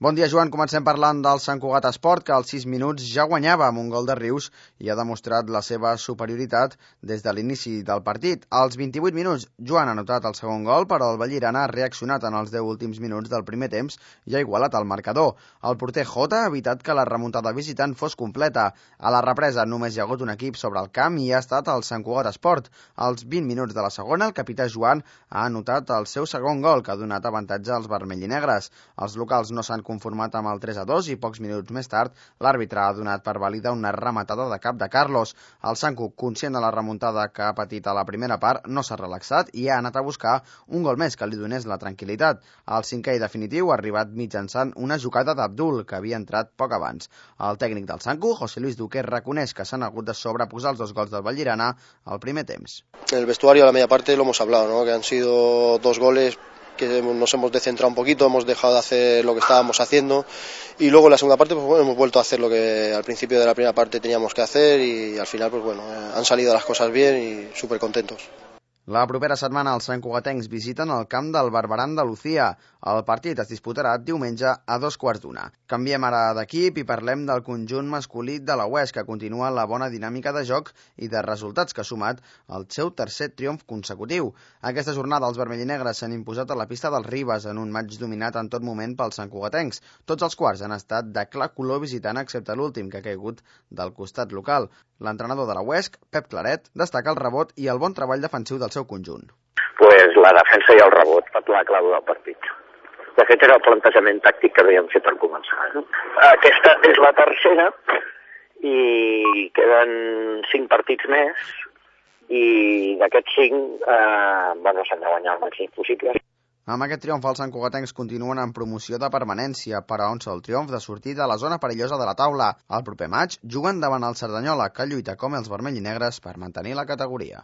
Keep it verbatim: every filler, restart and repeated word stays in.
Bon dia, Joan. Comencem parlant del Sant Cugat Esport, que als sis minuts ja guanyava amb un gol de Rius i ha demostrat la seva superioritat des de l'inici del partit. Als vint-i-vuit minuts, Joan ha anotat el segon gol, però el Vallirana ha reaccionat en els deu últims minuts del primer temps i ha igualat el marcador. El porter Jota ha evitat que la remuntada visitant fos completa. A la represa només hi ha hagut un equip sobre el camp i ha estat el Sant Cugat Esport. Als vint minuts de la segona, el capità Joan ha anotat el seu segon gol, que ha donat avantatge als vermell i negres. Els locals no s'han conformat amb el tres a dos i pocs minuts més tard l'àrbitre ha donat per vàlida una rematada de cap de Carlos. El Sant Cugat, conscient de la remuntada que ha patit a la primera part, no s'ha relaxat i ha anat a buscar un gol més que li donés la tranquil·litat. El cinquè i definitiu ha arribat mitjançant una jugada d'Abdul, que havia entrat poc abans. El tècnic del Sant Cugat, José Luis Duque, reconeix que s'han hagut de sobreposar els dos gols del Vallirana al primer temps. En el vestuario a la media parte lo hemos hablado, ¿no? Que han sido dos goles que nos hemos descentrado un poquito, hemos dejado de hacer lo que estábamos haciendo y luego en la segunda parte pues bueno, hemos vuelto a hacer lo que al principio de la primera parte teníamos que hacer y al final pues bueno, han salido las cosas bien y súper contentos. La propera setmana els santcugatencs visiten el camp del Barberan de Lucía. El partit es disputarà diumenge a dos quarts d'una. Canviem ara d'equip i parlem del conjunt masculí de la U E S, que continua la bona dinàmica de joc i de resultats que ha sumat el seu tercer triomf consecutiu. Aquesta jornada els vermell i negres s'han imposat a la pista dels Ribes en un maig dominat en tot moment pels santcugatencs. Tots els quarts han estat de clar color visitant, excepte l'últim, que ha caigut del costat local. L'entrenador de la U E S, Pep Claret, destaca el rebot i el bon treball defensiu del seu conjunt. Pues la defensa i el rebot, la clau del partit. De fet, era el plantejament tàctic que havíem fet per començar. No? Aquesta és la tercera i queden cinc partits més i d'aquests cinc eh, bueno, s'han de guanyar el màxim possible. Amb aquest triomf, els santcugatencs continuen en promoció de permanència, però a un sol triomf de sortir de la zona perillosa de la taula. El proper maig juguen davant el Cerdanyola, que lluita com els vermell i negres per mantenir la categoria.